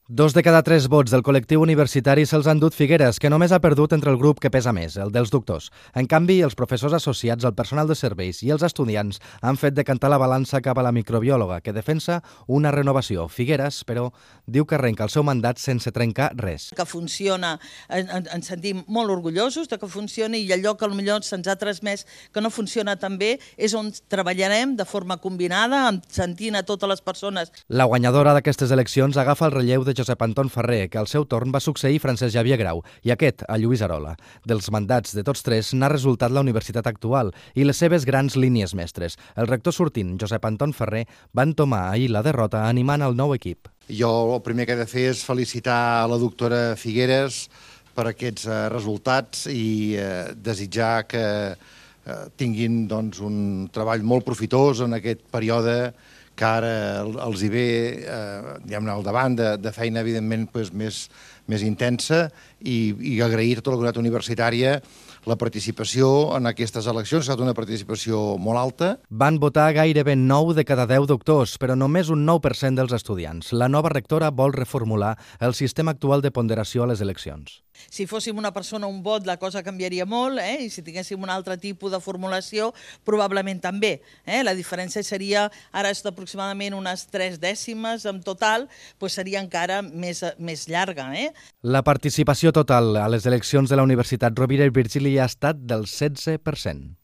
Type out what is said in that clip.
2 de cada 3 vots del col·lectiu universitari se'ls han dut Figueres, que només ha perdut entre el grup que pesa més, el dels doctors. En canvi, els professors associats, el personal de serveis i els estudiants han fet decantar la balança cap a la microbiòloga, que defensa una renovació. Figueres, però, diu que arrenca el seu mandat sense trencar res. Que funciona, ens sentim molt orgullosos de que funcioni, i allò que potser se'ns ha transmès que no funciona tan bé és on treballarem de forma combinada, sentint a totes les persones. La guanyadora d'aquestes eleccions agafa el relleu de Josep Anton Ferrer, que al seu torn va succeir Francesc Xavier Grau, i aquest a Lluís Arola. Dels mandats de tots tres n'ha resultat la universitat actual i les seves grans línies mestres. El rector sortint, Josep Anton Ferrer, va entomar ahir la derrota animant el nou equip. Jo el primer que he de fer és felicitar la doctora Figueres per aquests resultats i desitjar que tinguin un treball molt profitós en aquest període que ara els hi ve al davant de feina, evidentment, més intensa, i agrair a tota la comunitat universitària la participació en aquestes eleccions. Ha estat una participació molt alta. Van votar gairebé 9 de cada 10 doctors, però només un 9% dels estudiants. La nova rectora vol reformular el sistema actual de ponderació a les eleccions. Si fóssim una persona, un vot, la cosa canviaria molt, i si tinguéssim un altre tipus de formulació, probablement també. La diferència seria, ara és aproximadament unes 3 dècimes en total, doncs seria encara més llarga. La participació total a les eleccions de la Universitat Rovira i Virgili ha estat del 16%.